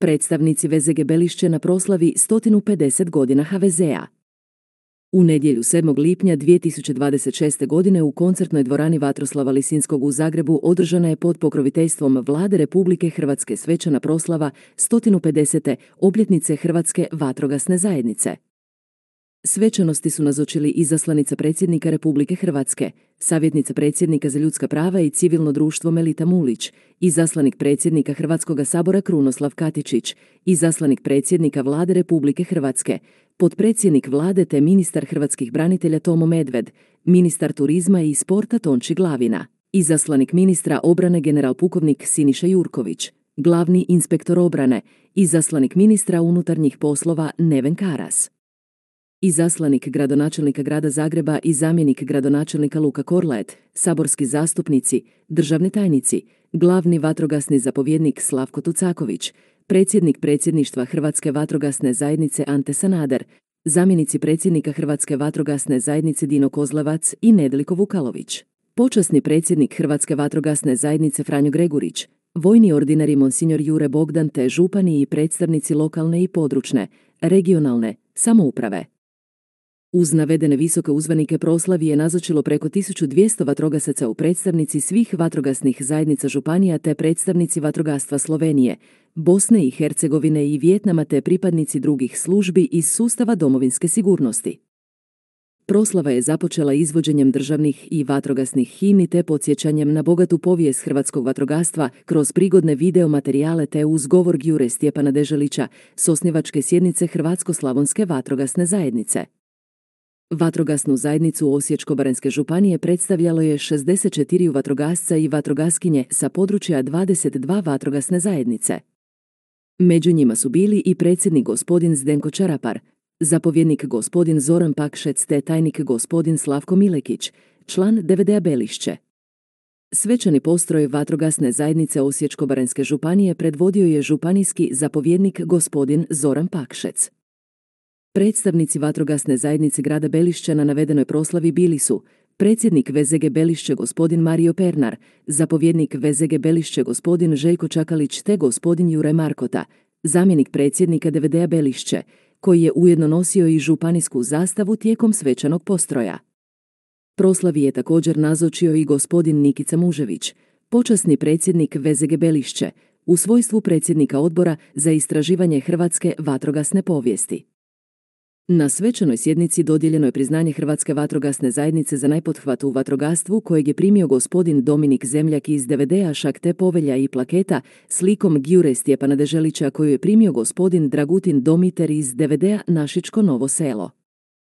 predstavnici VZG Belišće na proslavi 150 godina HVZ-a. U nedjelju 7. lipnja 2026. godine u koncertnoj dvorani Vatroslava Lisinskog u Zagrebu održana je pod pokroviteljstvom Vlade Republike Hrvatske svečana proslava 150. obljetnice Hrvatske vatrogasne zajednice. Svečanosti su nazočili izaslanica predsjednika Republike Hrvatske, savjetnica predsjednika za ljudska prava i civilno društvo Melita Mulić, izaslanik predsjednika Hrvatskoga sabora Krunoslav Katičić, izaslanik predsjednika Vlade Republike Hrvatske, potpredsjednik Vlade te ministar hrvatskih branitelja Tomo Medved, ministar turizma i sporta Tonči Glavina, izaslanik ministra obrane general pukovnik Siniša Jurković, glavni inspektor obrane, izaslanik ministra unutarnjih poslova Neven Karas, izaslanik gradonačelnika grada Zagreba i zamjenik gradonačelnika Luka Korlaet, saborski zastupnici, državni tajnici, glavni vatrogasni zapovjednik Slavko Tucaković, predsjednik predsjedništva Hrvatske vatrogasne zajednice Ante Sanader, zamjenici predsjednika Hrvatske vatrogasne zajednice Dino Kozlevac i Nedeljko Vukalović, počasni predsjednik Hrvatske vatrogasne zajednice Franjo Gregurić, vojni ordinari monsignor Jure Bogdan te župani i predstavnici lokalne i područne, regionalne samouprave. Uz navedene visoke uzvanike proslavi je nazočilo preko 1200 vatrogasaca u predstavnici svih vatrogasnih zajednica županija te predstavnici vatrogastva Slovenije, Bosne i Hercegovine i Vijetnama te pripadnici drugih službi iz sustava domovinske sigurnosti. Proslava je započela izvođenjem državnih i vatrogasnih himni te podsjećanjem na bogatu povijest hrvatskog vatrogastva kroz prigodne video materijale te uz govor Gjure Stjepana Deželića s osnivačke sjednice Hrvatsko-slavonske vatrogasne zajednice. Vatrogasnu zajednicu Osječko-baranjske županije predstavljalo je 64 vatrogasca i vatrogaskinje sa područja 22 vatrogasne zajednice. Među njima su bili i predsjednik gospodin Zdenko Čarapar, zapovjednik gospodin Zoran Pakšec te tajnik gospodin Slavko Milekić, član DVD-a Belišće. Svečani postroj vatrogasne zajednice Osječko-baranjske županije predvodio je županijski zapovjednik gospodin Zoran Pakšec. Predstavnici vatrogasne zajednice grada Belišća na navedenoj proslavi bili su predsjednik VZG Belišće gospodin Mario Pernar, zapovjednik VZG Belišće gospodin Željko Čakalić te gospodin Jure Markota, zamjenik predsjednika DVD-a Belišće, koji je ujedno nosio i županijsku zastavu tijekom svečanog postroja. Proslavi je također nazočio i gospodin Nikica Mužević, počasni predsjednik VZG Belišće, u svojstvu predsjednika odbora za istraživanje hrvatske vatrogasne povijesti. Na svečanoj sjednici dodijeljeno je priznanje Hrvatske vatrogasne zajednice za najpothvat u vatrogastvu kojeg je primio gospodin Dominik Zemljak iz DVD-a Šak te povelja i plaketa s likom Gjure Stjepana Deželića koju je primio gospodin Dragutin Domiter iz DVD-a Našičko Novo Selo.